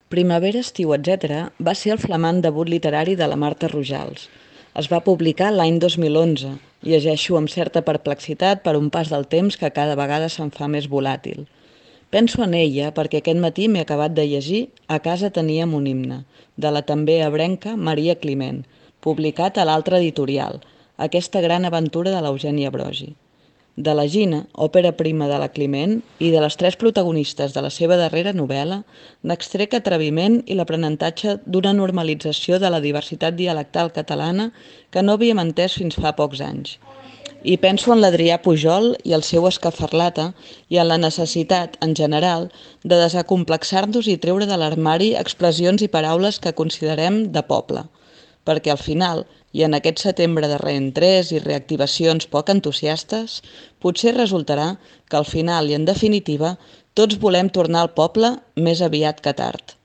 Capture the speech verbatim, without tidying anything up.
Primavera, estiu, etcètera va ser el flamant debut literari de la Marta Rojals. Es va publicar l'any dos mil onze. Llegeixo amb certa perplexitat per un pas del temps que cada vegada se'n fa més volàtil. Penso en ella perquè aquest matí m'he acabat de llegir A casa teníem un himne, de la també ebrenca Maria Climent, publicat a l'altra editorial, aquesta gran aventura de l'Eugènia Brogi. De la Gina, òpera prima de la Climent, i de les tres protagonistes de la seva darrera novel·la, n'extrec atreviment i l'aprenentatge d'una normalització de la diversitat dialectal catalana que no havíem entès fins fa pocs anys. I penso en l'Adrià Pujol i el seu escafarlata i en la necessitat, en general, de desacomplexar-nos i treure de l'armari expressions i paraules que considerem de poble, perquè al final, i en aquest setembre de reentrés i reactivacions poc entusiastes, potser resultarà que al final i en definitiva tots volem tornar al poble més aviat que tard.